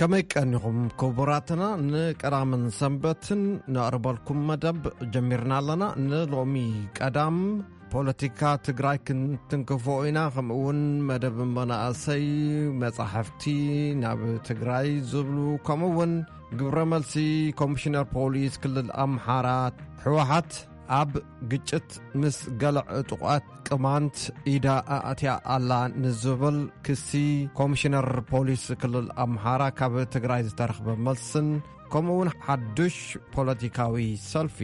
ከመይ ቀኒኹም ክቡራትና? ንቀዳምን ሰንበትን ነቕርበልኩም መደብ ጀሚርና ኣለና። ንሎሚ ቀዳም ፖለቲካ ትግራይ ክንትንክፎ ኢና። ከምኡ እውን መደብ መናእሰይ፣ መጻሕፍቲ ናብ ትግራይ ዝብሉ፣ ከምኡ እውን ግብረ መልሲ ኮሚሽነር ፖሊስ ክልል ኣምሓራ፣ ህወሓት ኣብ ግጭት ምስ ገለ ዕጡቓት ቅማንት ኢዳ ኣእትያ ኣላ ንዝብል ክሲ፣ ኮሚሽነር ፖሊስ ክልል ኣምሓራ ካብ ትግራይ ዝተረኽበ መልስን፣ ከምኡ እውን ሓዱሽ ፖለቲካዊ ሰልፊ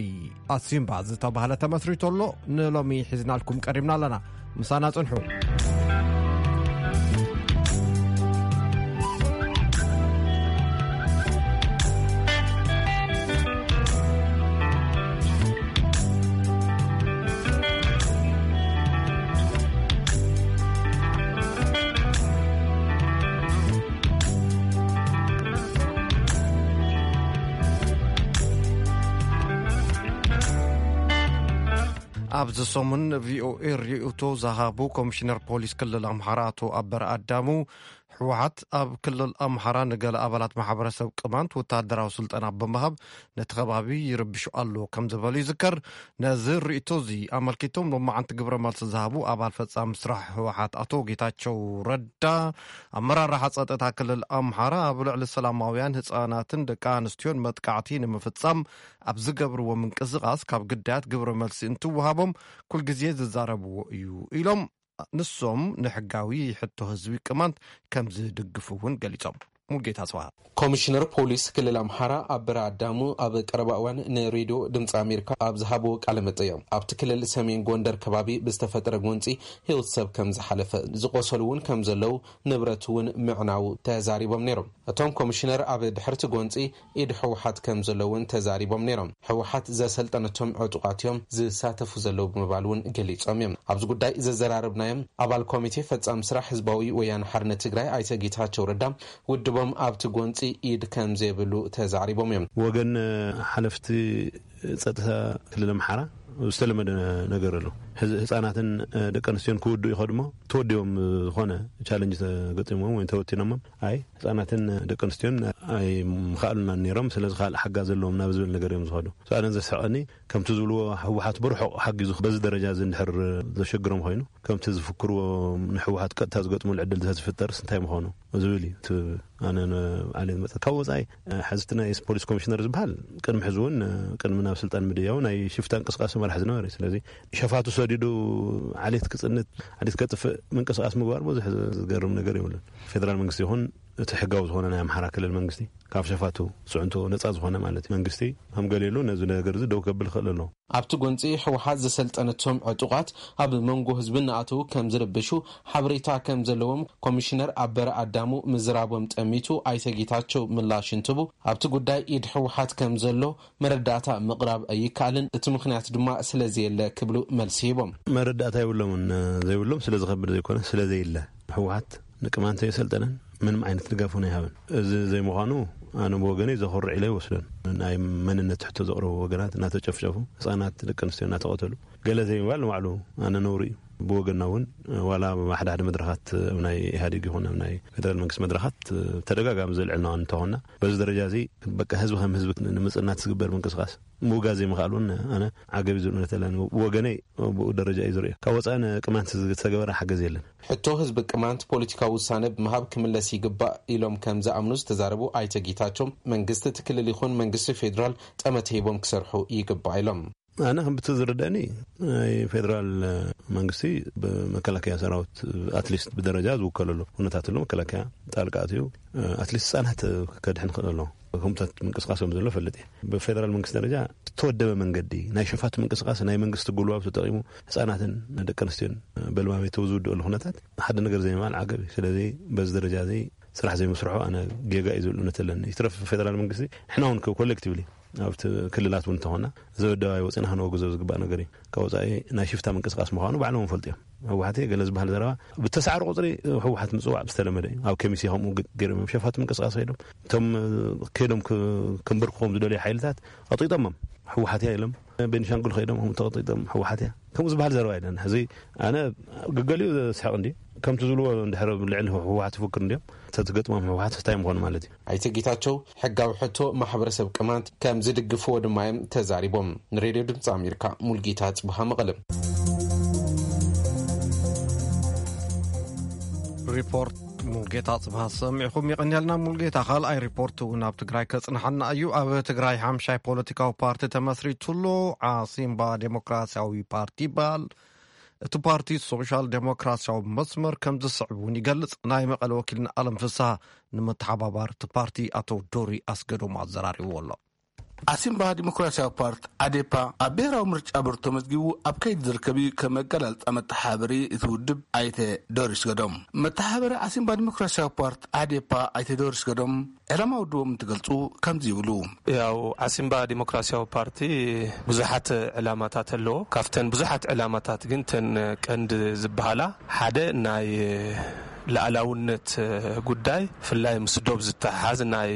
ኣሲምባ ዝተባህለ ተመስሪቱ ኣሎ። ንሎሚ ሒዝናልኩም ቀሪብና ኣለና። ምሳና ጽንሑ። ኣብዚ ሰሙን ቪኦኤ ርእይቶ ዝሃቡ ኮሚሽነር ፖሊስ ክልል ኣምሓራ ኣቶ ኣበረ ኣዳሙ፣ ህወሓት ኣብ ክልል ኣምሓራ ንገለ ኣባላት ማሕበረሰብ ቅማንት ወታደራዊ ስልጠና ብምሃብ ነቲ ከባቢ ይርብሹ ኣሎ ከም ዝበሉ ይዝከር። ነዚ ርእይቶ እዚ ኣመልኪቶም ሎማዓንቲ ግብረ መልሲ ዝሃቡ ኣባል ፈጻሚ ስራሕ ህወሓት ኣቶ ጌታቸው ረዳ፣ ኣመራርሓ ጸጥታ ክልል ኣምሓራ ኣብ ልዕሊ ሰላማውያን ህጻናትን ደቂ ኣንስትዮን መጥቃዕቲ ንምፍጻም ኣብ ዝገብርዎ ምንቅስቓስ ካብ ግዳያት ግብረ መልሲ እንትወሃቦም ኩልግዜ ዝዛረብዎ እዩ ኢሎም። ንሶም ንሕጋዊ ሕቶ ህዝቢ ቅማንት ከም ዝድግፉ እውን ገሊጾም። ሙልጌታ ጽባህ። ኮሚሽነር ፖሊስ ክልል ኣምሓራ ኣበረ ኣዳሙ ኣብ ቀረባ እዋን ንሬድዮ ድምፂ ኣሜሪካ ኣብ ዝሃብዎ ቃለ መጠይቕ፣ ኣብቲ ክልል ሰሜን ጎንደር ከባቢ ብዝተፈጠረ ጎንፂ ህይወት ሰብ ከም ዝሓለፈ፣ ዝቆሰሉ እውን ከም ዘለዉ፣ ንብረት እውን ምዕናዉ ተዛሪቦም ነይሮም። እቶም ኮሚሽነር ኣብ ድሕርቲ ጎንፂ ኢድ ህወሓት ከም ዘሎ እውን ተዛሪቦም ነይሮም። ህወሓት ዘሰልጠነቶም ዕጡቓት እዮም ዝሳተፉ ዘለዉ ብምባል እውን ገሊጾም እዮም። ኣብዚ ጉዳይ ዘዘራረብናዮም ኣባል ኮሚቴ ፈጻሚ ስራሕ ህዝባዊ ወያነ ሓርነት ትግራይ ኣይተ ጌታቸው ረዳ፣ ውድቦም ኣብቲ ጎንፂ ኢድ ከም ዘይብሉ ተዛሪቦም እዮም። ወገን ሓለፍቲ ጸጥታ ክልል ኣምሓራ ዝተለመደ ነገር ኣሎ። ህዝ-፣ ህጻናትን ደቂ ኣንስትዮን ክውድኡ ይኸዱ እሞ፣ ተወዲቦም ዝኾነ ቻለንጅ ተገጢሞም ወይ ተወቲኖሞም፣ ኣይ ህጻናትን ደቂ ኣንስትዮን ኣይምኽኣሉናን ነይሮም፣ ስለዚ ካልእ ሓጋዝ ዘለዎም ናብ ዝብል ነገር እዮም ዝኸዱ። So ኣነ ዘስሕቐኒ ከምቲ ዝብልዎ ህወሓት ብርሑቕ ሓጊዙ በዚ ደረጃ እዚ እንድሕር ዘሸግሮም ኮይኑ፣ ከምቲ ዝፍክርዎ ንህወሓት ቀጥታ ዝገጥሙሉ ዕድል ተዝፍጠርስ እንታይ ምኾኑ ዝብል እዩ። እቲ ኣነ ን-፣ ባዕለይ ዝመጸ ካብ ወጻኢ፣ እ፣ ሕዚ እቲ ናይ ፖሊስ ኮሚሽነር ዝበሃል ቅድሚ ሕዚ እውን፣ እ፣ ቅድሚ ናብ ስልጣን ምድያው ናይ ሽፍታ እንቅስቃሴ መራሕ ዝነበረ እዩ። ስለዚ ሸፋቱ ሰዲዱ ዓሌት ክጽንት፣ ዓሌት ከጥፍእ ምንቅስቃስ ምግባር ብዙሕ ዝገርም ነገር የብሉን። ፌደራል መንግስቲ ይኹን እቲ ሕጋዊ ዝኾነ ናይ ኣምሓራ ክልል መንግስቲ ካብ ሸፋቱ ጽዕንቶ ነጻ ዝኾነ ማለት እዩ። መንግስቲ ከም ገሊሉ ነዚ ነገር እዚ ደው ከብል ይኽእል ኣሎ። ኣብቲ ጎንፂ ህወሓት ዘሰልጠነቶም ዕጡቓት ኣብ መንጎ ህዝቢ እናኣተዉ ከም ዝርብሹ ሓበሬታ ከም ዘለዎም ኮሚሽነር ኣበረ ኣዳሙ ምዝራቦም ጠሚቱ ኣይተ ጌታቸው ምላሽ እንትቡ፣ ኣብቲ ጉዳይ ኢድ ህወሓት ከም ዘሎ መረዳእታ ምቕራብ ኣይከኣልን፣ እቲ ምኽንያት ድማ ስለ ዘየለ ክብሉ መልሲ ሂቦም። መረዳእታ የብሎምን፣ ዘይብሎም ስለ ዝኸብድ ዘይኮነ፣ ስለ ዘየለ። ህወሓት ንቅማንት የሰልጠነን፣ ምንም ዓይነት ድጋፍ እውን ኣይሃበን። እዚ ዘይምዃኑ ኣነ ብወገነይ ዘኹርዕ ኢለ ይወስዶን። ናይ መንነት ሕቶ ዘቕረቡ ወገናት እናተጨፍጨፉ፣ ህፃናት ደቂ ኣንስትዮ እናተቐተሉ፣ ገለ ዘይምባል ንባዕሉ ኣነ ነውሪ እዩ። ብወገንና እውን ዋላ ኣብ ሓደ ሓደ መድረኻት፣ ኣብ ናይ ኢህኣዴግ ይኹን ኣብ ናይ ፌደራል መንግስቲ መድረኻት ተደጋጋሚ ዘልዕልና እንተኾንና፣ በዚ ደረጃ እዚ በቃ ህዝቢ ከም ህዝቢ ንምፅናት ዝግበር ምንቅስቃስ ምውጋዝ ዘይምኽኣል እውን ኣነ ዓገብ እዩ ዝብል እምነት ኣለኒ። ብወገነይ ብኡ ደረጃ እዩ ዝርእዮ። ካብ ወፃኢ ንቅማንት ዝተገበረ ሓገዝ የለን። ሕቶ ህዝቢ ቅማንት ፖለቲካዊ ውሳነ ብምሃብ ክምለስ ይግባእ ኢሎም ከም ዝኣምኑ ዝተዛረቡ ኣይተ ጌታቸው፣ መንግስቲ እቲ ክልል ይኹን መንግስቲ ፌዴራል ጠመተ ሂቦም ክሰርሑ ይግባእ ኢሎም። ኣነ ከም ብቲ ዝርደኒ ናይ ፌዴራል መንግስቲ ብመከላከያ ሰራዊት ኣትሊስት ብደረጃ ዝውከለሉ ኩነታት ኣሎ። መከላከያ ጣልቃ ኣትዩ ኣትሊስት ህፃናት ከድሕን ክእል ኣሎ። ከምታት ምንቅስቃስ ከም ዘሎ ፈልጥ እየ። ብፌደራል መንግስቲ ደረጃ ዝተወደበ መንገዲ ናይ ሸፋቱ ምንቅስቃስ ናይ መንግስቲ ጉልባብ ተጠቂሙ ህፃናትን ደቂ ኣንስትዮን በልማሜተው ዝውድእሉ ኩነታት ሓደ ነገር ዘይምባል ዓገብ እዩ። ስለዚ በዚ ደረጃ እዚ ስራሕ ዘይምስርሑ ኣነ ጌጋ እዩ ዝብል እምነት ኣለኒ። ይትረፍ ፌደራል መንግስቲ ንሕና እውን ኮሌክቲቭሊ ኣብቲ ክልላት እውን እንተኾና ዘበደባይ ወፂና ክነወግዞ ዝግባእ ነገር እዩ። ካብ ወፃኢ ናይ ሽፍታ ምንቅስቃስ ምዃኑ ባዕሎም እውን ፈልጡ እዮም። ህወሓት ገለ ዝበሃል ዘረባ ብተሳዕሩ ቁፅሪ ህወሓት ምፅዋዕ ዝተለመደ እዩ። ኣብ ከሚሴ ከምኡ ገ-፣ ገይሮም እዮም ሸፋቱ ምንቅስቃስ ከይዶም እቶም ከይዶም ክ-፣ ክንበርክኾም ዝደልዩ ሓይልታት ኣጥቂጦሞም። ህወሓት እያ ኢሎም፣ ቤኒሻንጉል ከይዶም ከም ተቐጢጦም ህወሓት እያ ከምኡ ዝበሃል ዘረባ የለን። ሕዚ ኣነ ገገሊኡ ዘስሕቕ እንዲ ከምቲ ዝብልዎ እንድሕር ልዕሊ ህወሓት ይፍክር እንዲዮም ተትገጥሞም ህወሓት እንታይ ምኾኑ ማለት እዩ። ኣይተ ጌታቸው ሕጋዊ ሕቶ ማሕበረሰብ ቅማንት ከም ዝድግፍዎ ድማ እዮም ተዛሪቦም። ንሬድዮ ድምፂ ኣሜሪካ ሙልጌታ ጽቡሃ መቐለም። ሪፖርት ሙልጌታ ጽብሃ ሰሚዕኹም። የቐንየልና ሙልጌታ። ካልኣይ ሪፖርት እውን ኣብ ትግራይ ከጽንሓና እዩ። ኣብ ትግራይ ሓምሻይ ፖለቲካዊ ፓርቲ ተመስሪቱሉ። ዓሲምባ ዴሞክራሲያዊ ፓርቲ ይበሃል። እቲ ፓርቲ ሶሻል ዴሞክራሲያዊ መስመር ከም ዝስዕብ እውን ይገልጽ። ናይ መቐለ ወኪልና ኣለም ፍስሃ ንመተሓባባሪ እቲ ፓርቲ ኣቶ ዶሪ ኣስገዶም ኣዘራሪብዎ ኣሎ። ዓሲምባ ዲሞክራሲያዊ ፓርቲ ዓዴፓ ኣብ ብሔራዊ ምርጫ ቦርድ ተመዝጊቡ ኣብ ከይዲ ዝርከብ እዩ። ከም መገላልፃ መተሓበሪ እቲ ውድብ ኣይተ ዶሪስ ገዶም፣ መተሓበሪ ዓሲምባ ዲሞክራሲያዊ ፓርቲ ዓዴፓ ኣይተ ዶሪስ ገዶም ዕላማ ውድቦም እንትገልፁ ከምዚ ይብሉ። ያው ዓሲምባ ዲሞክራሲያዊ ፓርቲ ብዙሓት ዕላማታት ኣለዎ። ካብተን ብዙሓት ዕላማታት ግን ተን ቀንዲ ዝበሃላ ሓደ ናይ ላኣላውነት ጉዳይ ፍላይ ምስ ዶብ ዝተሓሓዝ ናይ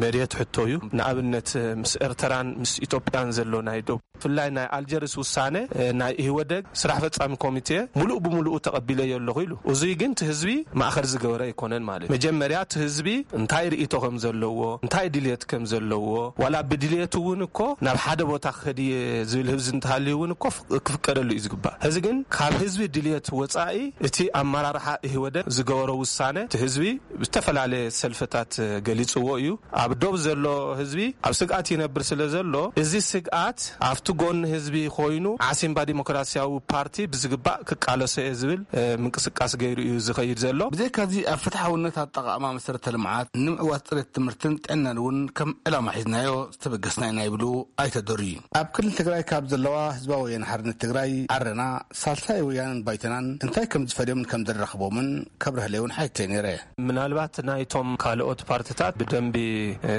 መሬት ሕቶ እዩ። ንኣብነት ምስ ኤርትራን ምስ ኢትዮጵያን ዘሎ ናይ ዶብ ፍላይ ናይ ኣልጀርስ ውሳነ ናይ ኢህወደግ ስራሕ ፈጻሚ ኮሚቴ ሙሉእ ብሙሉኡ ተቐቢለዮ ኣለኹ ኢሉ። እዙይ ግን እቲ ህዝቢ ማእኸል ዝገበረ ኣይኮነን ማለት እዩ። መጀመርያ እቲ ህዝቢ እንታይ ርእይቶ ከም ዘለዎ እንታይ ድልየት ከም ዘለዎ ዋላ ብድልየቱ እውን እኮ ናብ ሓደ ቦታ ክኸድ እየ ዝብል ህዝቢ እንተሃልዩ እውን እኮ ክፍቀደሉ እዩ ዝግባእ። እዚ ግን ካብ ህዝቢ ድልየት ወፃኢ እቲ ኣመራርሓ ኢህወደግ ዝገበሮ ውሳነ እቲ ህዝቢ ብዝተፈላለየ ሰልፍታት ገሊፅዎ እዩ። ኣብ ዶብ ዘሎ ህዝቢ ኣብ ስግኣት ይነብር ስለ ዘሎ እዚ ስግኣት ኣብቲ ጎኒ ህዝቢ ኮይኑ ዓሲምባ ዲሞክራሲያዊ ፓርቲ ብዝግባእ ክቃለሶ እየ ዝብል ምንቅስቃስ ገይሩ እዩ ዝኸይድ ዘሎ። ብዘይካዚ ኣብ ፍትሓውነት ኣጠቓቕማ መሰረተ ልምዓት ንምዕዋት ፅሬት ትምህርትን ጥዕናን እውን ከም ዕላማ ሒዝናዮ ዝተበገስና ኢና ይብሉ ኣይተ ዶሪ። ኣብ ክልል ትግራይ ካብ ዘለዋ ህዝባዊ ወያነ ሓርነት ትግራይ ዓረና ሳልሳይ ወያነን ባይቶናን እንታይ ከም ዝፈልዮምን ከም ዘራኽቦምን ከብርህለይ እውን ሓይተይ ነይረ። ምናልባት ናይቶም ካልኦት ፓርትታት ብደንቢ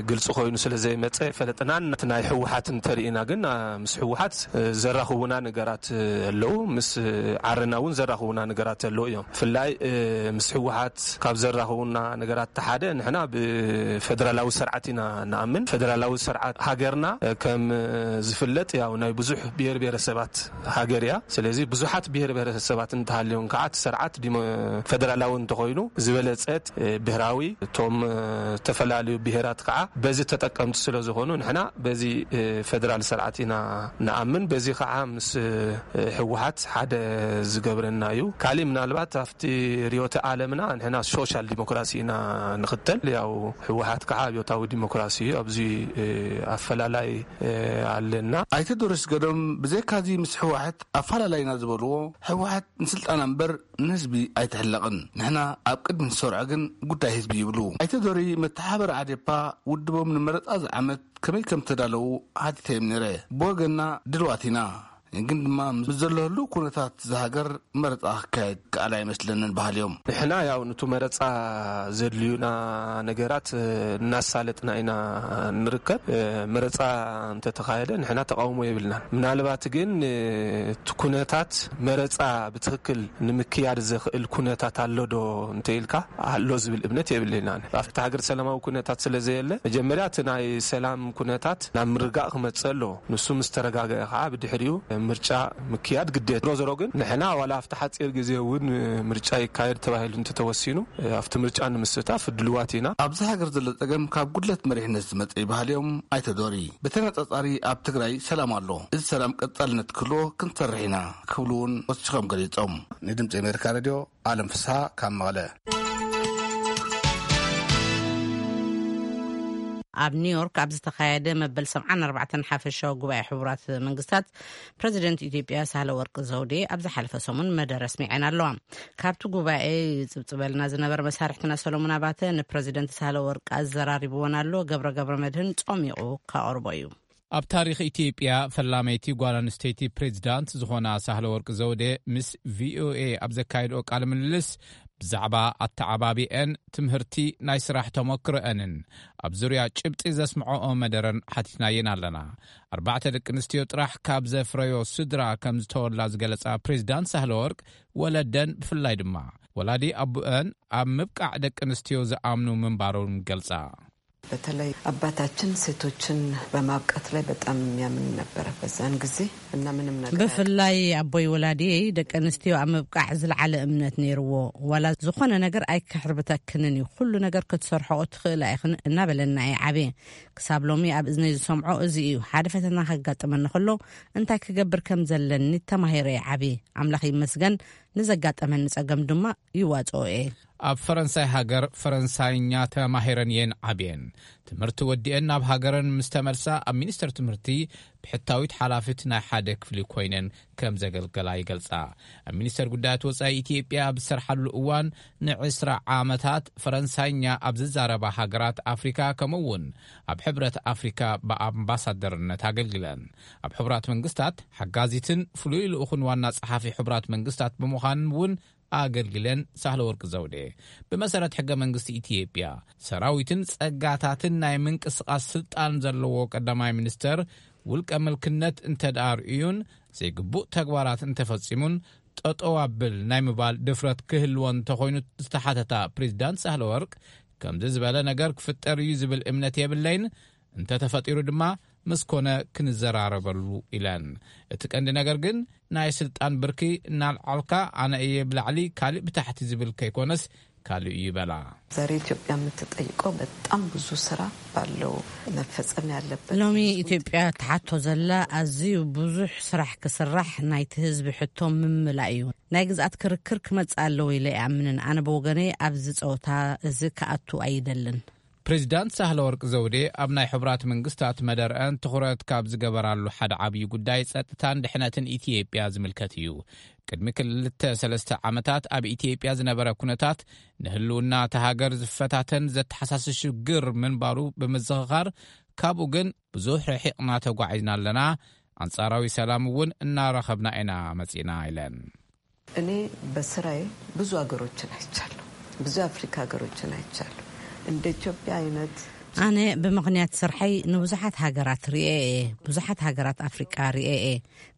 ግልፂ ኮይኑ ስለ ዘይመፀ ፈለጥናን እቲ ናይ ህወሓት እንተርኢና ግን ምስ ህወሓት ዘራኽቡና ነገራት ኣለዉ፣ ምስ ዓረና እውን ዘራኽቡና ነገራት ኣለዉ እዮም። ብፍላይ ምስ ህወሓት ካብ ዘራኽቡና ነገራት ሓደ ንሕና ብፌደራላዊ ስርዓት ኢና ንኣምን። ፌደራላዊ ስርዓት ሃገርና ከም ዝፍለጥ ያው ናይ ብዙሕ ብሔር ብሔረሰባት ሃገር እያ። ስለዚ ብዙሓት ብሔር ብሔረሰባት እንተሃልዮም ከዓ እቲ ስርዓት ዲሞ- ፌደራላዊ እንተኾይኑ ዝበለፀት ብሔራዊ እቶም ዝተፈላለዩ ብሔራት ከዓ በዚ ተጠቀምቲ ስለ ዝኾኑ ንሕና በዚ ፌደራል ስርዓት ኢና ንኣምን። በዚ ከዓ ምስ ህወሓት ሓደ ዝገብረና እዩ። ካሊእ ምናልባት ኣብቲ ርዮተ ዓለምና ንሕና ሶሻል ዲሞክራሲ ኢና ንኽተል። ያው ህወሓት ከዓ ኣብዮታዊ ዲሞክራሲ እዩ። ኣብዚ ኣፈላላይ ኣለና። ኣይተ ዶሪስ ገዶም ብዘይካዚ ምስ ህወሓት ኣፈላላይና ዝበልዎ ህወሓት ንስልጣና እምበር ንህዝቢ ኣይትሕለቕን። ንሕና ኣብ ቅድሚ ንሰርዖ ግን ጉዳይ ህዝቢ ይብሉ። ኣይተ ዶሪ መተሓበሪ ዓዴፓ ውድቦም ንመረፃ ዝዓመት ከመይ ከም ተዳለዉ ሓቲተዮም ነይረ። ብወገንና ድልዋት ኢና፣ ግን ድማ ምስ ዘሎ ህልው ኩነታት ዝሃገር መረፃ ክካየድ ከኣል ኣይመስለንን በሃልዮም። ንሕና ያው ንቱ መረፃ ዘድልዩና ነገራት እናሳለጥና ኢና ንርከብ። መረፃ እንተተኻየደ ንሕና ተቃውሞ የብልናን። ምናልባት ግን እቲ ኩነታት መረፃ ብትክክል ንምክያድ ዘኽእል ኩነታት ኣሎ ዶ እንተኢልካ ኣሎ ዝብል እምነት የብልናን። ኣብቲ ሃገር ሰላማዊ ኩነታት ስለ ዘየለ መጀመርያ እቲ ናይ ሰላም ኩነታት ናብ ምርጋእ ክመፅእ ኣለዎ። ንሱ ምስ ተረጋገአ ከዓ ብድሕሪኡ ምርጫ ምክያድ ግዴታ። ዞሮ ዞሮ ግን ንሕና ዋላ ኣብቲ ሓፂር ግዜ እውን ምርጫ ይካየድ ተባሂሉ እንተተወሲኑ ኣብቲ ምርጫ ንምስታፍ ድልዋት ኢና። ኣብዚ ሃገር ዘሎ ፀገም ካብ ጉድለት መሪሕነት ዝመፀ ይበሃል እዮም ኣይተ ዶሪ። ብተነፃፃሪ ኣብ ትግራይ ሰላም ኣሎ። እዚ ሰላም ቀፃልነት ክህልዎ ክንሰርሕ ኢና ክብሉ እውን ወሲኾም ገሊፆም። ንድምፂ ኣሜሪካ ሬድዮ ኣለም ፍስሃ ካብ መቐለ። ኣብ ኒውዮርክ ኣብ ዝተኻየደ መበል ሰብዓን ኣርባዕተን ሓፈሻዊ ጉባኤ ሕቡራት መንግስታት ፕረዚደንት ኢትዮጵያ ሳህለ ወርቅ ዘውዴ ኣብ ዝሓለፈ ሰሙን መደረ ኣስሚዐን ኣለዋ። ካብቲ ጉባኤ ይጽብጽበልና ዝነበረ መሳርሕትና ሰሎሞን ኣባተ ንፕረዚደንት ሳህለ ወርቅ ኣዘራሪብወን ኣሎ። ገብረ ገብረ መድህን ጾሚቑ ካቐርቦ እዩ። ኣብ ታሪኽ ኢትዮጵያ ፈላመይቲ ጓል ኣንስተይቲ ፕሬዚዳንት ዝኾና ሳህለ ወርቅ ዘውዴ ምስ ቪኦኤ ኣብ ዘካየድኦ ቃለ ምልልስ ብዛዕባ ኣተዓባቢአን ትምህርቲ ናይ ስራሕ ተመክሮአንን ኣብ ዙርያ ጭብጢ ዘስምዐኦ መደረን ሓቲትናየን ኣለና። ኣርባዕተ ደቂ ኣንስትዮ ጥራሕ ካብ ዘፍረዮ ስድራ ከም ዝተወላ ዝገለጻ ፕሬዚዳንት ሳህለ ወርቅ ወለደን ብፍላይ ድማ ወላዲ ኣቡአን ኣብ ምብቃዕ ደቂ ኣንስትዮ ዝኣምኑ ምንባሮም ገልጻ። በተለይ አባታችን ሴቶችን በማብቃት ላይ በጣም የሚያምን ነበረ በዛን ጊዜ። እና ምንም ነገር ብፍላይ ኣቦይ ወላዲየይ ደቂ ኣንስትዮ ኣብ ምብቃዕ ዝለዓለ እምነት ነይርዎ። ዋላ ዝኾነ ነገር ኣይክሕርብተክንን እዩ፣ ኩሉ ነገር ክትሰርሖኦ ትኽእላ ኢኽን እናበለና እየ ዓብየ። ክሳብ ሎሚ ኣብ እዝነይ ዝሰምዖ እዚ እዩ። ሓደ ፈተና ከጋጥመኒ ከሎ እንታይ ክገብር ከም ዘለኒ ተማሂረ እየ ዓብየ። ኣምላኽ ይመስገን፣ ንዘጋጠመኒ ጸገም ድማ ይዋጽኦ እየ። ኣብ ፈረንሳይ ሃገር ፈረንሳይኛ ተማሂረን እየን ዓብየን። ትምህርቲ ወዲአን ናብ ሃገረን ምስ ተመልሳ ኣብ ሚኒስተር ትምህርቲ ብሕታዊት ሓላፊት ናይ ሓደ ክፍሊ ኮይነን ከም ዘገልገላ ይገልጻ። ኣብ ሚኒስተር ጉዳያት ወጻኢ ኢትዮጵያ ኣብ ዝሰርሓሉ እዋን ንዕስራ ዓመታት ፈረንሳይኛ ኣብ ዝዛረባ ሃገራት ኣፍሪካ ከምኡ እውን ኣብ ሕብረት ኣፍሪካ ብኣምባሳደርነት ኣገልግለን። ኣብ ሕቡራት መንግስታት ሓጋዚትን ፍሉይ ልኡኽን ዋና ጸሓፊ ሕቡራት መንግስታት ብምዃን እውን ኣገልግለን። ሳህለ ወርቂ ዘውዴ ብመሰረት ሕገ መንግስቲ ኢትዮጵያ ሰራዊትን ጸጋታትን ናይ ምንቅስቓስ ስልጣን ዘለዎ ቀዳማይ ሚኒስተር ውልቀ ምልክነት እንተደኣ ርእዩን ዘይግቡእ ተግባራት እንተፈጺሙን ጠጠው ኣብል ናይ ምባል ድፍረት ክህልዎ እንተኾይኑ ዝተሓተታ ፕሬዚዳንት ሳህለ ወርቅ ከምዚ ዝበለ ነገር ክፍጠር እዩ ዝብል እምነት የብለይን፣ እንተተፈጢሩ ድማ ምስ ኮነ ክንዘራረበሉ ኢለን። እቲ ቀንዲ ነገር ግን ናይ ስልጣን ብርኪ እናልዓልካ ኣነ እየ ብላዕሊ ካልእ ብታሕቲ ዝብል ከይኮነስ ካልእ እዩ በላ። ዛሬ ኢትዮጵያ የምትጠይቀው በጣም ብዙ ስራ ባለው መፈጸም ያለበት ሎሚ ኢትዮጵያ ትሓቶ ዘላ ኣዝዩ ብዙሕ ስራሕ ክስራሕ ናይቲ ህዝቢ ሕቶ ምምላእ እዩ። ናይ ግዝኣት ክርክር ክመጽእ ኣለዎ ኢለ ይኣምንን። ኣነ ብወገነይ ኣብዚ ጸወታ እዚ ክኣቱ ኣይደልን። ፕሬዚዳንት ሳህለ ወርቅ ዘውዴ ኣብ ናይ ሕቡራት መንግስታት መደርአን ትኹረት ካብ ዝገበራሉ ሓደ ዓብዪ ጉዳይ ጸጥታን ድሕነትን ኢትዮጵያ ዝምልከት እዩ። ቅድሚ ክልተ ሰለስተ ዓመታት ኣብ ኢትዮጵያ ዝነበረ ኩነታት ንህልውና እታ ሃገር ዝፈታተን ዘተሓሳስብ ሽግር ምንባሩ ብምዝኽኻር ካብኡ ግን ብዙሕ ርሒቕና ተጓዒዝና ኣለና፣ ኣንጻራዊ ሰላም እውን እናረኸብና ኢና መጺእና ኢለን። እኔ በስራዬ ብዙ ሀገሮችን አይቻለሁ። ብዙ የአፍሪካ ሀገሮችን አይቻለሁ። እንደ ኢትዮጵያ አይነት ኣነ ብምኽንያት ስርሐይ ንብዙሓት ሃገራት ርኤ እየ። ብዙሓት ሃገራት ኣፍሪቃ ርኤ እየ።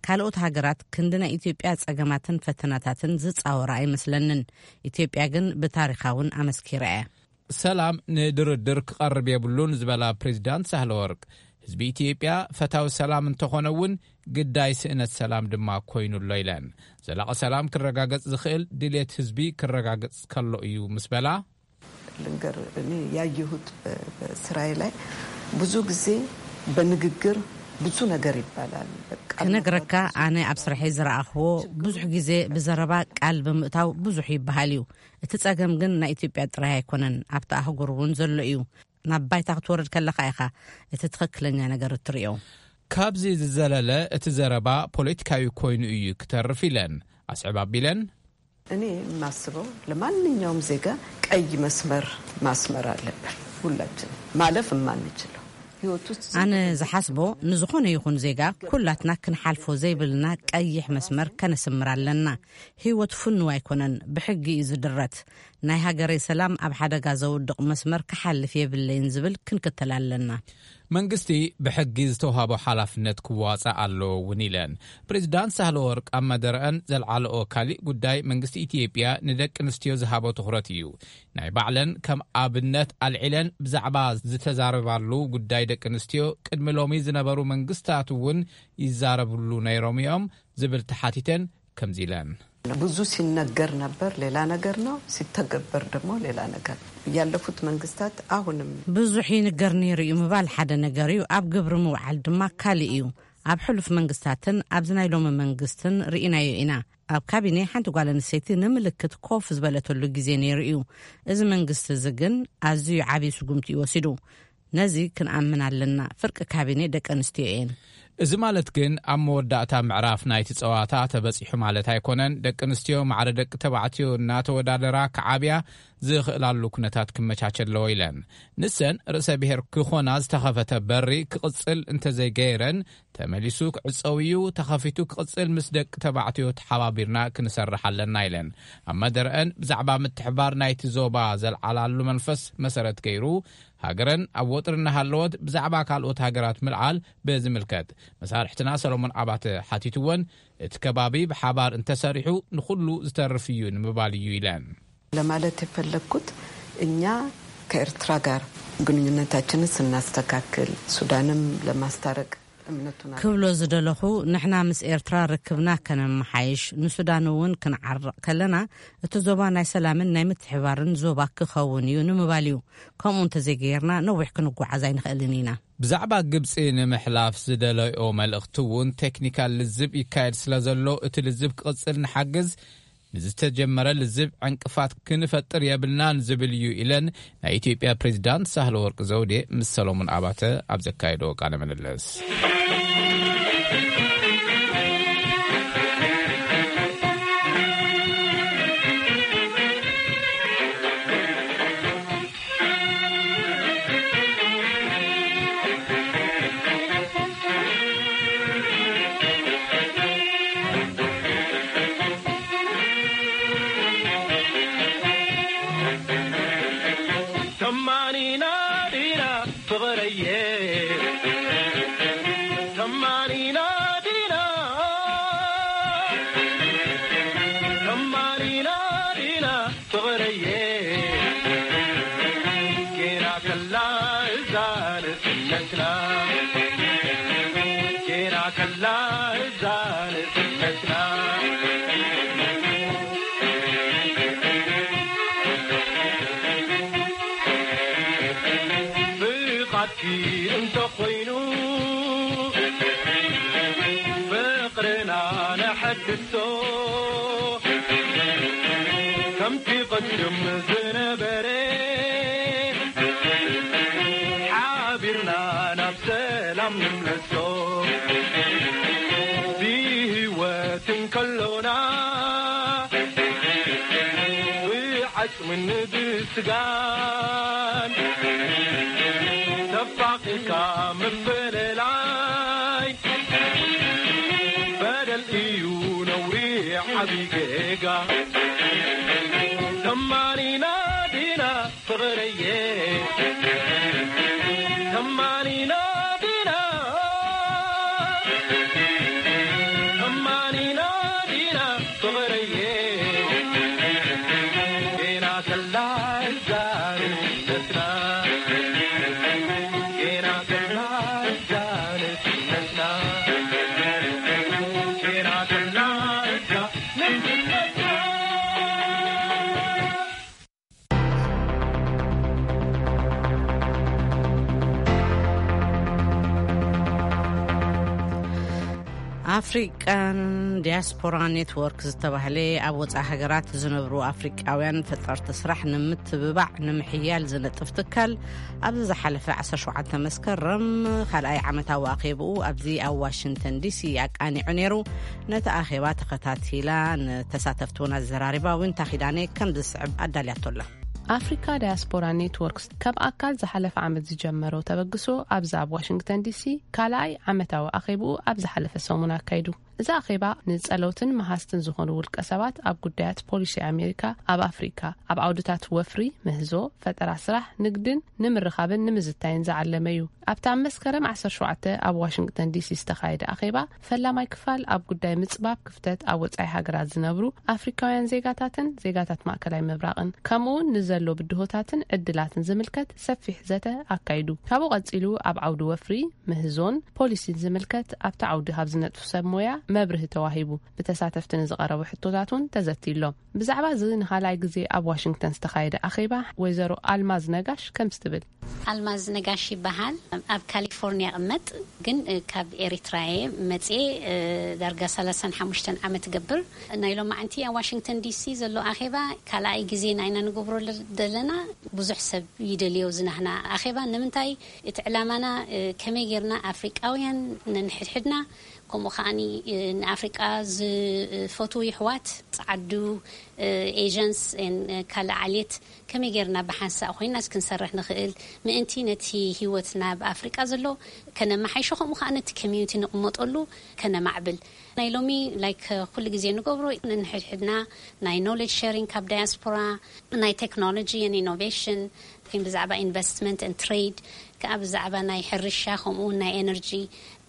ካልኦት ሃገራት ክንዲ ናይ ኢትዮጵያ ጸገማትን ፈተናታትን ዝጻወራ ኣይመስለንን። ኢትዮጵያ ግን ብታሪኻውን ኣመስኪራ እያ። ሰላም ንድርድር ክቐርብ የብሉን ዝበላ ፕሬዚዳንት ሳህለ ወርቅ ህዝቢ ኢትዮጵያ ፈታዊ ሰላም እንተኾነ እውን ግዳይ ስእነት ሰላም ድማ ኮይኑ ኣሎ ኢለን። ዘላቒ ሰላም ክረጋገጽ ዝኽእል ድሌት ህዝቢ ክረጋገጽ ከሎ እዩ ምስ በላ ልንገር እኔ ያየሁት በስራዬ ላይ ብዙ ጊዜ በንግግር ብዙ ነገር ይባላል። ክነግረካ ኣነ ኣብ ስርሐይ ዝረኣኽዎ ብዙሕ ግዜ ብዘረባ ቃል ብምእታው ብዙሕ ይበሃል እዩ። እቲ ጸገም ግን ናይ ኢትዮጵያ ጥራይ ኣይኮነን፣ ኣብቲ ኣህጉር እውን ዘሎ እዩ። ናብ ባይታ ክትወርድ ከለኻ ኢኻ እቲ ትኽክለኛ ነገር እትርእዮ። ካብዚ ዝዘለለ እቲ ዘረባ ፖለቲካዊ ኮይኑ እዩ ክተርፍ ኢለን ኣስዕብ ኣቢለን። እኔ የማስበው ለማንኛውም ዜጋ ቀይ መስመር ማስመር አለብን። ሁላችን ማለፍ የማንችለው ህይወት ውስጥ ኣነ ዝሓስቦ ንዝኾነ ይኹን ዜጋ ኩላትና ክንሓልፎ ዘይብልና ቀይሕ መስመር ከነስምር ኣለና። ህይወት ፍኑው ኣይኮነን፣ ብሕጊ እዩ ዝድረት። ናይ ሃገረይ ሰላም ኣብ ሓደጋ ዘውድቕ መስመር ክሓልፍ የብለይን ዝብል ክንክተል ኣለና። መንግስቲ ብሕጊ ዝተውሃቦ ሓላፍነት ክዋፃእ ኣለዎ እውን ኢለን። ፕሬዚዳንት ሳህለ ወርቅ ኣብ መደረአን ዘልዓለኦ ካሊእ ጉዳይ መንግስቲ ኢትዮጵያ ንደቂ ኣንስትዮ ዝሃቦ ትኹረት እዩ። ናይ ባዕለን ከም ኣብነት ኣልዒለን ብዛዕባ ዝተዛረባሉ ጉዳይ ደቂ ኣንስትዮ ቅድሚ ሎሚ ዝነበሩ መንግስታት እውን ይዛረብሉ ነይሮም እዮም ዝብል ተሓቲተን ከምዚ ኢለን። ብዙ ሲነገር ነበር፣ ሌላ ነገር ነው፣ ሲተገበር ደግሞ ሌላ ነገር። ያለፉት መንግስታት አሁንም ብዙሕ ይንገር ነይሩ እዩ ምባል ሓደ ነገር እዩ፣ ኣብ ግብሪ ምውዓል ድማ ካልእ እዩ። ኣብ ሕሉፍ መንግስታትን ኣብዚ ናይ ሎሚ መንግስትን ርኢናዮ ኢና። ኣብ ካቢኔ ሓንቲ ጓል ኣንስተይቲ ንምልክት ኮፍ ዝበለተሉ ግዜ ነይሩ እዩ። እዚ መንግስቲ እዚ ግን ኣዝዩ ዓብዪ ስጉምቲ እዩ ወሲዱ። ነዚ ክንኣምን ኣለና። ፍርቂ ካቢኔ ደቂ ኣንስትዮ እየን። እዚ ማለት ግን ኣብ መወዳእታ ምዕራፍ ናይቲ ጸዋታ ተበጺሑ ማለት ኣይኮነን። ደቂ ኣንስትዮ ማዕረ ደቂ ተባዕትዮ እናተወዳደራ ክዓብያ ዝኽእላሉ ኩነታት ክመቻቸ ኣለዎ ኢለን። ንሰን ርእሰ ብሔር ክኾና ዝተኸፈተ በሪ ክቕጽል እንተዘይገይረን ተመሊሱ ክዕጸው እዩ። ተኸፊቱ ክቕጽል ምስ ደቂ ተባዕትዮ ተሓባቢርና ክንሰርሕ ኣለና ኢለን። ኣብ መደረአን ብዛዕባ ምትሕባር ናይቲ ዞባ ዘልዓላሉ መንፈስ መሰረት ገይሩ ሃገረን ኣብ ወጥሪ እናሃለወት ብዛዕባ ካልኦት ሃገራት ምልዓል ብዝምልከት መሳርሕትና ሰሎሞን ኣባተ ሓቲትወን፣ እቲ ከባቢ ብሓባር እንተሰሪሑ ንኹሉ ዝተርፍ እዩ ንምባል እዩ ኢለን። ለማለት የፈለግኩት እኛ ከኤርትራ ጋር ግንኙነታችንን ስናስተካክል ሱዳንም ለማስታረቅ እምነቱን ክብሎ ዝደለኹ፣ ንሕና ምስ ኤርትራ ርክብና ከነመሓይሽ፣ ንሱዳን እውን ክንዓርቕ ከለና፣ እቲ ዞባ ናይ ሰላምን ናይ ምትሕባርን ዞባ ክኸውን እዩ ንምባል እዩ። ከምኡ እንተዘይገይርና፣ ነዊሕ ክንጓዓዝ ኣይንኽእልን ኢና። ብዛዕባ ግብጺ ንምሕላፍ ዝደለዮ መልእኽቲ እውን ቴክኒካል ልዝብ ይካየድ ስለ ዘሎ፣ እቲ ልዝብ ክቕጽል ንሓግዝ፣ ንዝተጀመረ ልዝብ ዕንቅፋት ክንፈጥር የብልናን ዝብል እዩ ኢለን ናይ ኢትዮጵያ ፕሬዚዳንት ሳህለ ወርቅ ዘውዴ ምስ ሰሎሞን ኣባተ ኣብ ዘካየዶ ቃለ ምልልስ። ተማኒና ዲና ፍቕረየ፣ ተማኒና ዲና፣ ተማኒና ዲና ፍቕረየ፣ ጌና ከላ እዛ ንስነትና፣ ጌና ከላ እዛ ንስነትና። ፍቓድኪ እንተኾይኑ ፍቕርና ነሐድሶ፣ ከምቲ ቅድም ዝነበረ ሓቢርና ናብ ሰላም ንምለሶ። ብህይወት እንከሎና ብዓጽምን ብስጋን ተፋቒርካ ምፍልላይ በደል እዩ ነውሪ ዓቢ ጌጋ። ተማኒና ዲና ፍቕረየ፣ ተማኒና ዲና፣ ተማኒና ዲና ፍቕረየ፣ ጌና ከላ እዛ ንስነትና፣ ጌና ከላ እዛ ንስነትና፣ ጌና ከላ እዛ ንስነትና። ኣፍሪቃን ዲያስፖራ ኔትወርክ ዝተባህለ ኣብ ወጻኢ ሃገራት ዝነብሩ ኣፍሪቃውያን ፈጠርቲ ስራሕ ንምትብባዕ ንምሕያል ዝነጥፍ ትካል፣ ኣብዚ ዝሓለፈ ዓሰርተ ሸውዓተ መስከረም ካልኣይ ዓመታዊ ኣኼብኡ ኣብዚ ኣብ ዋሽንግተን ዲሲ ኣቃኒዑ ነይሩ። ነቲ ኣኼባ ተኸታቲላ ንተሳተፍቲ እውን ኣዘራሪባ። ዊንታ ኪዳነ ከም ዝስዕብ ኣዳልያቶ ኣላ። ኣፍሪካ ዳያስፖራ ኔትወርክስ ካብ ኣካል ዝሓለፈ ዓመት ዝጀመሮ ተበግሶ ኣብዚ ኣብ ዋሽንግተን ዲሲ ካልኣይ ዓመታዊ ኣኼብኡ ኣብ ዝሓለፈ ሰሙን ኣካይዱ። እዚ ኣኼባ ንጸለውትን መሃዝትን ዝኾኑ ውልቀ ሰባት ኣብ ጉዳያት ፖሊሲ ኣሜሪካ ኣብ ኣፍሪካ፣ ኣብ ዓውድታት ወፍሪ፣ ምህዞ፣ ፈጠራ ስራሕ፣ ንግድን ንምርኻብን ንምዝታይን ዝዓለመ እዩ። ኣብቲ ኣብ መስከረም ዓሰርተ ሸውዓተ ኣብ ዋሽንግተን ዲሲ ዝተኻየደ ኣኼባ፣ ፈላማይ ክፋል ኣብ ጉዳይ ምጽባብ ክፍተት ኣብ ወጻኢ ሃገራት ዝነብሩ ኣፍሪካውያን ዜጋታትን ዜጋታት ማእከላይ ምብራቕን፣ ከምኡ እውን ንዘሎ ብድሆታትን ዕድላትን ዝምልከት ሰፊሕ ዘተ ኣካይዱ። ካብኡ ቀጺሉ ኣብ ዓውዲ ወፍሪ፣ ምህዞን ፖሊሲን ዝምልከት ኣብቲ ዓውዲ ካብ ዝነጥፉ ሰብ ሞያ መብርሂ ተዋሂቡ። ብተሳተፍቲ ንዝቐረቡ ሕቶታት እውን ተዘትዩሎም። ብዛዕባ እዚ ንኻልኣይ ግዜ ኣብ ዋሽንግተን ዝተኻየደ ኣኼባ ወይዘሮ ኣልማዝ ነጋሽ ከምዚ ትብል። ኣልማዝ ነጋሽ ይበሃል። ኣብ ካሊፎርኒያ እቕመጥ፣ ግን፣ እ፣ ካብ ኤሪትራ እየ መጽኤ፣ እ፣ ዳርጋ ሰላሳን ሓሙሽተን ዓመት እገብር። ናይ ሎማዓንቲ ኣብ ዋሽንግተን ዲሲ ዘሎ ኣኼባ ካልኣይ ግዜና ኢና ንገብሮ ለ-፣ ዘለና። ብዙሕ ሰብ ይደልዮ ዝናህና ኣኼባ። ንምንታይ? እቲ ዕላማና፣ እ፣ ከመይ ጌርና ኣፍሪቃውያን ነንሕድሕድና፣ ከምኡ ከዓኒ፣ እ፣ ንኣፍሪቃ ዝፈትዉ ይሕዋት፣ ጸዓዱ፣ እ፣ ኤጀንስ፣ ን፣ እ፣ ካልእ ዓሌት ከመይ ጌርና ብሓንሳእ ኮይና ክንሰርሕ ንኽእል፣ ምእንቲ ነቲ ህይወትና ኣብ ኣፍሪቃ ዘሎ ከነመሓይሾ፣ ከምኡ ከኣ ነቲ ኮሚዩኒቲ ንቕመጠሉ ከነማዕብል። ናይ ሎሚ፣ ላይክ፣ ኩሉ ግዜ ንገብሮ፣ ንሕድሕድና ናይ ኖሌጅ ሼሪንግ ካብ ዳያስፖራ፣ ናይ ቴክኖሎጂ ን ኢኖቬሽን፣ ብዛዕባ ኢንቨስትመንት ን ትሬድ፣ ከኣ ብዛዕባ ናይ ሕርሻ፣ ከምኡ እውን ናይ ኤነርጂ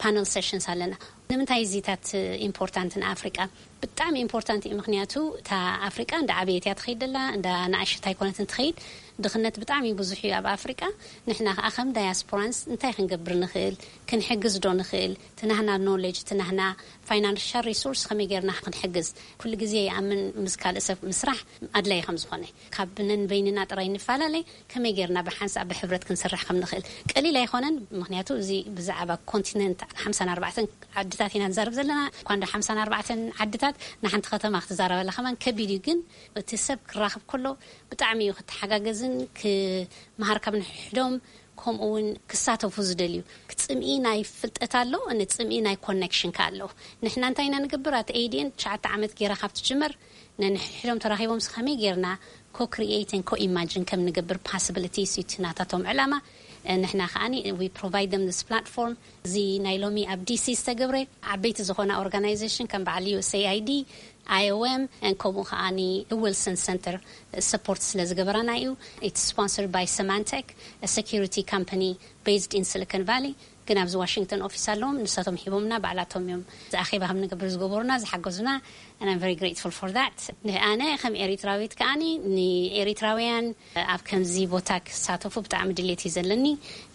ፓነል ሴሽንስ ኣለና። ንምንታይ እዚታት ኢምፖርታንት ንኣፍሪቃ? ብጣዕሚ ኢምፖርታንት እዩ፣ ምኽንያቱ እታ ኣፍሪቃ እንዳ ዓበየት እያ ትኸይድ ዘላ፣ እንዳ ንኣሸት ኣይኮነትን ትኸይድ። ድኽነት ብጣዕሚ ብዙሕ እዩ ኣብ ኣፍሪቃ። ንሕና ከዓ ከም ዳያስፖራንስ እንታይ ክንገብር ንኽእል? ክንሕግዝ ዶ ንኽእል? ትናህና ኖሌጅ፣ ትናህና ፋይናንሻል ሪሶርስ ከመይ ጌርና ክንሕግዝ? ኩሉ ግዜ ይኣምን ምስ ካልእ ሰብ ምስራሕ ኣድላይ ከም ዝኾነ፣ ካብ ነንበይንና ጥራይ ንፈላለይ፣ ከመይ ጌርና ብሓንሳእ ብሕብረት ክንሰርሕ ከም ንኽእል ቀሊል ኣይኮነን። ምክንያቱ እዚ ብዛዕባ ኮንቲነንት ሓምሳን ኣርባዕተን ዓድታት ኢና ንዛረብ ዘለና። እኳ እንዶ ሓምሳን ኣርባዕተን ዓድታት ንሓንቲ ከተማ ክትዛረበላ ከማን ከቢድ እዩ። ግን እቲ ሰብ ክራኸብ ከሎ ብጣዕሚ እዩ ክተሓጋገዝን ክመሃር ካብ ንሕዶም፣ ከምኡ እውን ክሳተፉ ዝደልዩ። ክጽምኢ ናይ ፍልጠት ኣሎ፣ ንጽምኢ ናይ ኮኔክሽን ከ ኣሎ። ንሕና እንታይ ኢና ንገብር? ኣት ኤዲኤን ትሽዓተ ዓመት ጌራ ካብ ትጅመር፣ ነንሕድሕዶም ተራኺቦም ከመይ ጌርና ኮ ክሪኤትን ኮ ኢማጅን ከም ንገብር ፓስብሊቲስ እዩ እቲ ናታቶም ዕላማ። ንሕና ከዓኒ we provide them this platform። እዚ ናይ ሎሚ ኣብ ዲሲ ዝተገብረ ዓበይቲ ዝኾና ኦርጋናይዜሽን ከም በዓል ዩ ኤስ ኤ ኣይ ዲ፣ ኣይ ኦ ኤም፣ ከምኡ ከዓኒ ዊልሰን ሰንተር ሰፖርት ስለ ዝገበራና እዩ። It's sponsored by Symantec, a security company based in Silicon Valley. ግን ኣብዚ ዋሽንግተን ኦፊስ ኣለዎም፣ ንሳቶም ሂቦምና፣ ባዕላቶም እዮም እዚ ኣኼባ ከም ንገብር ዝገበሩና፣ ዝሓገዙና። And I'm very grateful for that. ኣነ ከም ኤሪትራዊት ከዓኒ ንኤሪትራውያን ኣብ ከምዚ ቦታ ክሳተፉ ብጣዕሚ ድሌት እዩ ዘለኒ።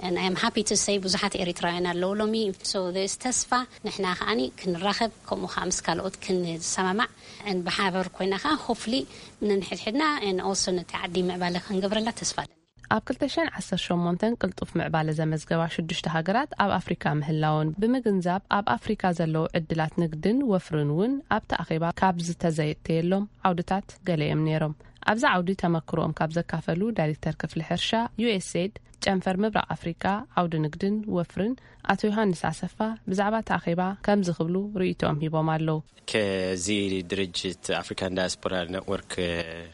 And I am happy to say ብዙሓት ኤሪትራውያን ኣለዉ ሎሚ። So there is ተስፋ፣ ንሕና ከዓኒ ክንራኸብ፣ ከምኡ ከዓ ምስ ካልኦት ክንሰማማዕ፣ and ብሓበር ኮይና ከዓ hopefully ነንሕድሕድና and also ነቲ ዓዲ ምዕባለ ክንገብረላ ተስፋ ኣለኒ። ኣብ ክልተ ሽሕን ዓሰርተ ሸሞንተን ቅልጡፍ ምዕባለ ዘመዝገባ ሽዱሽተ ሃገራት ኣብ ኣፍሪካ ምህላወን ብምግንዛብ፣ ኣብ ኣፍሪካ ዘለዉ ዕድላት ንግድን ወፍርን እውን ኣብቲ ኣኼባ ካብ ዝተዘየተየሎም ዓውድታት ገለ እዮም ነይሮም። ኣብዚ ዓውዲ ተመክሮኦም ካብ ዘካፈሉ ዳይሬክተር ክፍሊ ሕርሻ ዩ ኤስ ኤድ ጨንፈር ምብራቕ ኣፍሪካ ዓውዲ ንግድን ወፍርን ኣቶ ዮሃንስ ኣሰፋ ብዛዕባ እቲ ኣኼባ ከምዚ ክብሉ ርእይቶኦም ሂቦም ኣለዉ። ከዚ ድርጅት ኣፍሪካን ዳያስፖራ ኔትወርክ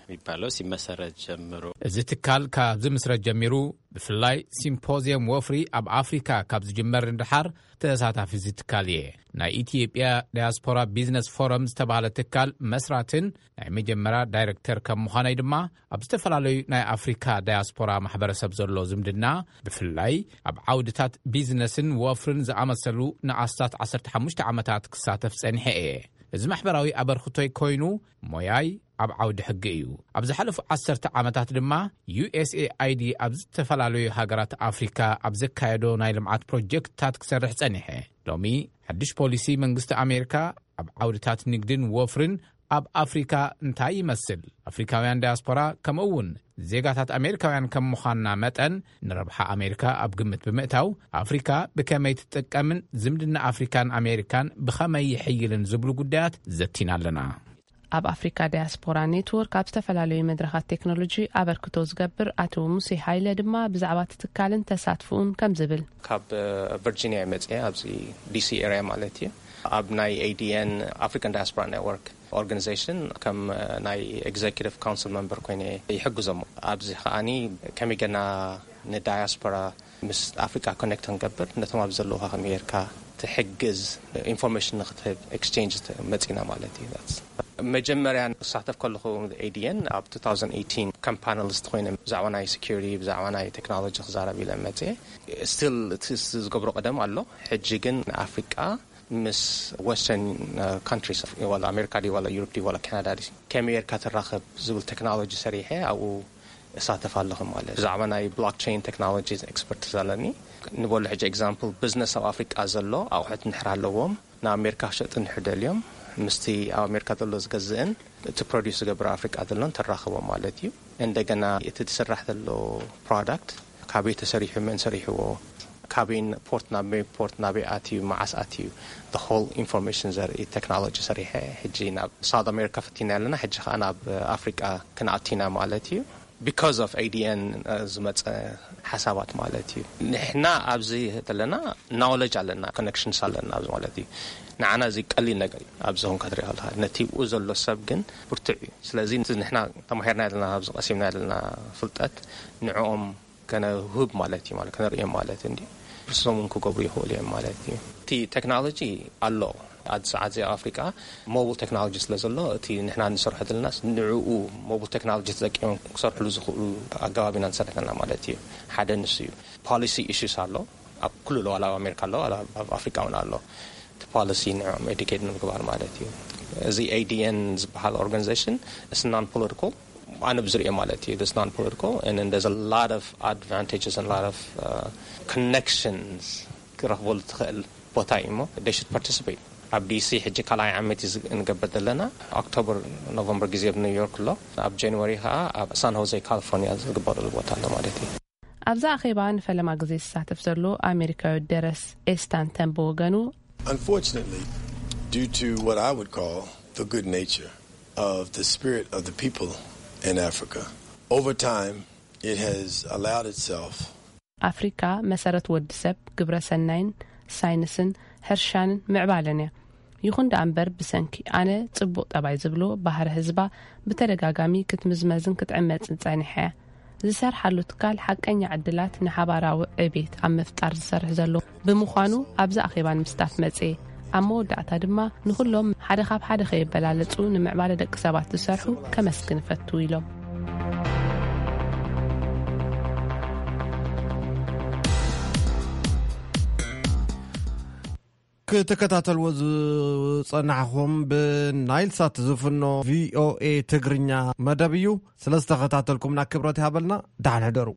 የሚባለው ሲመሰረት ጀምሮ፣ እዚ ትካል ካብ ዝምስረት ጀሚሩ፣ ብፍላይ ሲምፖዚየም ወፍሪ ኣብ ኣፍሪካ ካብ ዝጅመር ንድሓር ተሳታፊ እዚ ትካል እየ። ናይ ኢትዮጵያ ዳያስፖራ ቢዝነስ ፎረም ዝተባህለ ትካል መስራትን ናይ መጀመርያ ዳይሬክተር ከም ምዃነይ ድማ፣ ኣብ ዝተፈላለዩ ናይ ኣፍሪካ ዳያስፖራ ማሕበረሰብ ዘሎ ዝምድና፣ ብፍላይ ኣብ ዓውድታት ቢዝነስን ወፍርን ዝኣመሰሉ ንኣስታት ዓሰርተ ሓሙሽተ ዓመታት ክሳተፍ ጸኒሐ እየ። እዚ ማሕበራዊ ኣበርክቶይ ኮይኑ፣ ሞያይ ኣብ ዓውዲ ሕጊ እዩ። ኣብ ዝሓለፉ ዓሰርተ ዓመታት ድማ ዩ ኤስ ኤ ኣይ ዲ ኣብ ዝተፈላለዩ ሃገራት ኣፍሪካ ኣብ ዘካየዶ ናይ ልምዓት ፕሮጀክትታት ክሰርሕ ጸኒሐ። ሎሚ ሓድሽ ፖሊሲ መንግስቲ ኣሜሪካ ኣብ ዓውድታት ንግድን ወፍርን ኣብ ኣፍሪካ እንታይ ይመስል? ኣፍሪካውያን ዳያስፖራ ከምኡ እውን ዜጋታት ኣሜሪካውያን ከም ምዃንና መጠን፣ ንረብሓ ኣሜሪካ ኣብ ግምት ብምእታው፣ ኣፍሪካ ብከመይ ትጥቀምን ዝምድና ኣፍሪካን ኣሜሪካን ብኸመይ ይሕይልን ዝብሉ ጉዳያት ዘቲና ኣለና። ኣብ ኣፍሪካ ዳያስፖራ ኔትወርክ ኣብ ዝተፈላለዩ መድረኻት ቴክኖሎጂ ኣበርክቶ ዝገብር ኣቶ ሙሴ ሃይለ ድማ ብዛዕባ እቲ ትካልን ተሳትፍኡን ከም ዝብል። ካብ ቨርጂኒያ ይመፅእ ኣብዚ ዲሲ ኤሪያ ማለት እዩ። ኣብ ናይ ኤ ዲ ኤን ኣፍሪካን ዳያስፖራ ኔትወርክ ኦርጋኒዜሽን ከም ናይ ኤግዜኪቲቭ ካውንስል መምበር ኮይነ ይሕግዞም። ኣብዚ ከዓኒ ከመይ ገና ንዳያስፖራ ምስ ኣፍሪቃ ኮኔክት ክንገብር፣ ነቶም ኣብ ዘለዉ ከመይ ጌርካ ትሕግዝ፣ ኢንፎርሜሽን ንክትህብ ኤክስቼንጅ መፂና ማለት እዩ። መጀመርያ ክሳተፍ ከለኹ ኤ ዲ ኤን ኣብ two thousand eighteen ከም ፓነሊስት ኮይነ ብዛዕባ ናይ ሴኩሪቲ፣ ብዛዕባ ናይ ቴክኖሎጂ ክዛረብ ኢለ መፅየ። ስቲል እቲ ዝገብሮ ቀደም ኣሎ። ሕጂ ግን ንኣፍሪቃ ምስ ወስተርን ካንትሪስ፣ ዋላ ኣሜሪካ ድዩ ዋላ ዩሮፕ ድዩ ዋላ ካናዳ ድዩ፣ ከመይ ጌርካ ትራኸብ ዝብል ቴክኖሎጂ ሰሪሐ ኣብኡ እሳተፍ ኣለኹ ማለት። ብዛዕባ ናይ ብሎክቸይን ቴክኖሎጂ ኤክስፐርቲዝ ኣለኒ። ንበሉ ሕጂ ኤግዛምፕል፣ ቢዝነስ ኣብ ኣፍሪቃ ዘሎ ኣቑሑት እንድሕር ኣለዎም፣ ንኣሜሪካ ክሸጡ እንድሕር ደልዮም፣ ምስቲ ኣብ ኣሜሪካ ዘሎ ዝገዝእን እቲ ፕሮዲስ ዝገብር ኣፍሪቃ ዘሎን ተራኽቦም ማለት እዩ። እንደገና እቲ ዝስራሕ ዘሎ ፕሮዳክት ካበይ ተሰሪሑ፣ መን ሰሪሕዎ፣ ካበይ ፖርት፣ ናብ መይ ፖርት፣ ናበይ ኣትዩ፣ መዓስ ኣትዩ፣ the whole ኢንፎርሜሽን ዘርኢ ቴክኖሎጂ ሰሪሐ። ሕጂ ናብ ሳውት ኣሜሪካ ፈቲና ኣለና፣ ሕጂ ከዓ ናብ ኣፍሪቃ ክንኣቲና ማለት እዩ። ቢካዝ ኦፍ ኤ ዲ ኤን ዝመፀ ሓሳባት ማለት እዩ። ንሕና ኣብዚ ዘለና ናውለጅ ኣለና፣ ኮኔክሽንስ ኣለና ኣብዚ ማለት እዩ። ንዓና እዚ ቀሊል ነገር እዩ። ኣብዚ ኹን ክትሪኦ ከለካ ነቲ ብኡ ዘሎ ሰብ ግን ብርቱዕ እዩ። ስለዚ ንሕና ተማሂርና ዘለና፣ ኣብዚ ቀሲምና ዘለና ፍልጠት ንዕኦም ከነውህብ ማለት እዩ፣ ማለት ከነርእዮም ማለት እንዲ ርሶም እውን ክገብሩ ይኽእሉ እዮም ማለት እዩ። እቲ ቴክኖሎጂ ኣሎ። ኣብዚ ሰዓት እዚ ኣብ ኣፍሪቃ ሞባይል ቴክኖሎጂ ስለ ዘሎ፣ እቲ ንሕና ንሰርሖ ዘለና ንዕኡ ሞባይል ቴክኖሎጂ ተጠቂሞም ክሰርሕሉ ዝኽእሉ ኣገባብ ኢና ንሰርሕ ዘለና ማለት እዩ። ሓደ ንሱ እዩ። ፖሊሲ ኢሹስ ኣሎ ኣብ ኩሉ፣ ዋላ ኣብ ኣሜሪካ ኣሎ፣ ዋላ ኣብ ኣፍሪቃ እውን ኣሎ። እቲ ፖሊሲ ንዕኦም ኤዱኬት ንምግባር ማለት እዩ። እዚ ኤ ዲ ኤን ዝበሃል ኦርጋኒዜሽን፣ it's non political፣ ኣነ ብዝሪኦ ማለት እዩ። It's non political and then there's a lot of advantages and a lot of uh, connections ክረኽበሉ ትኽእል ቦታ እዩ እሞ they should participate። ኣብ ዲሲ ሕጂ ካልኣይ ዓመት እዩ ዝግ- እንገብር ዘለና። ኦክቶበር ኖቨምበር ግዜ ኣብ ኒውዮርክ ኣሎ። ኣብ ጃንዋሪ ከዓ ኣብ ሳን ሆዜ ካሊፎርኒያ ዝግበረሉ ቦታ ኣሎ ማለት እዩ። ኣብዛ ኣኼባ ንፈለማ ግዜ ዝሳተፍ ዘሎ ኣሜሪካዊ ደረስ ኤስታንተን ብወገኑ Unfortunately, due to what I would call the good nature of the spirit of the people in Africa, over time it has allowed itself ኣፍሪካ መሰረት ወዲ ሰብ ግብረ ሰናይን ሳይንስን ሕርሻንን ምዕባለን እያ። ይኹን ደኣ እምበር ብሰንኪ ኣነ ጽቡቕ ጠባይ ዝብሎ ባህሪ ህዝባ ብተደጋጋሚ ክትምዝመዝን ክትዕመጽን ጸኒሓ እያ። ዝሰርሓሉ ትካል ሓቀኛ ዕድላት ንሓባራዊ ዕቤት ኣብ ምፍጣር ዝሰርሕ ዘሎ ብምዃኑ ኣብዚ ኣኼባ ንምስታፍ መጽኤ። ኣብ መወዳእታ ድማ ንኹሎም ሓደ ካብ ሓደ ከየበላለጹ ንምዕባለ ደቂ ሰባት ዝሰርሑ ከመስግን እፈቱ ኢሎም። ክትከታተልዎ ዝጸናሕኹም ብናይል ሳት ዝፍኖ ቪኦኤ ትግርኛ መደብ እዩ። ስለ ዝተኸታተልኩምና ክብረት ይሃበልና። ደሓን ሕደሩ።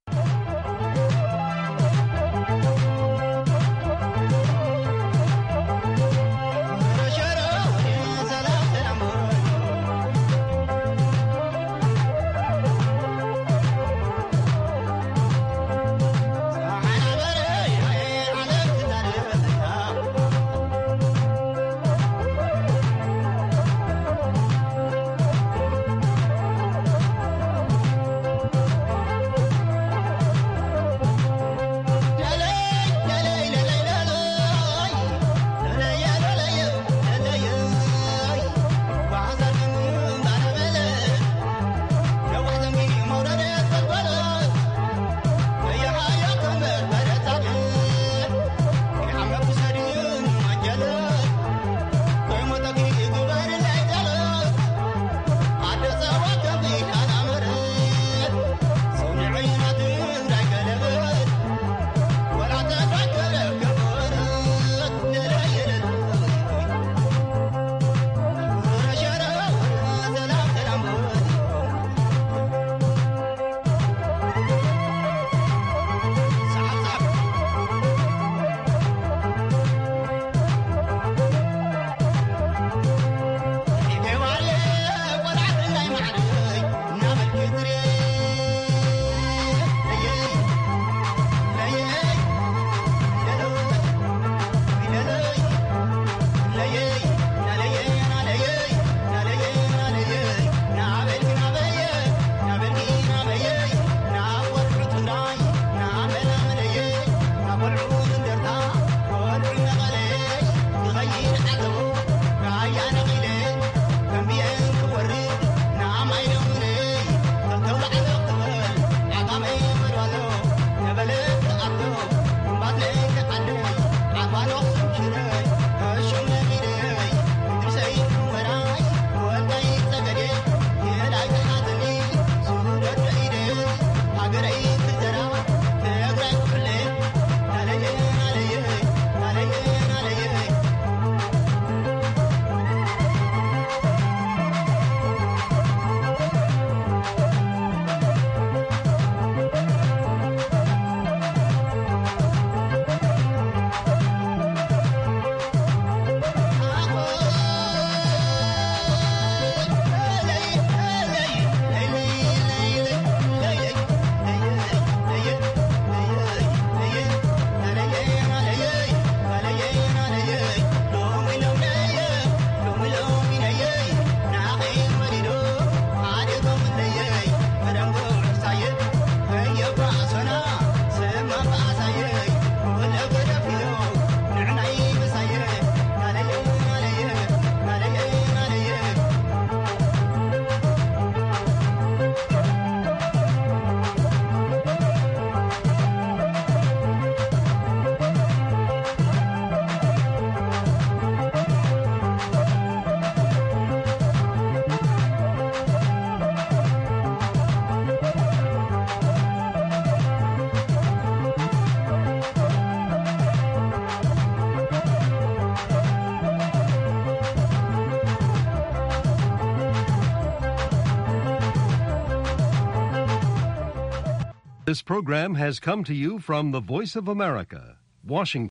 This program has come to you from the Voice of America, Washington.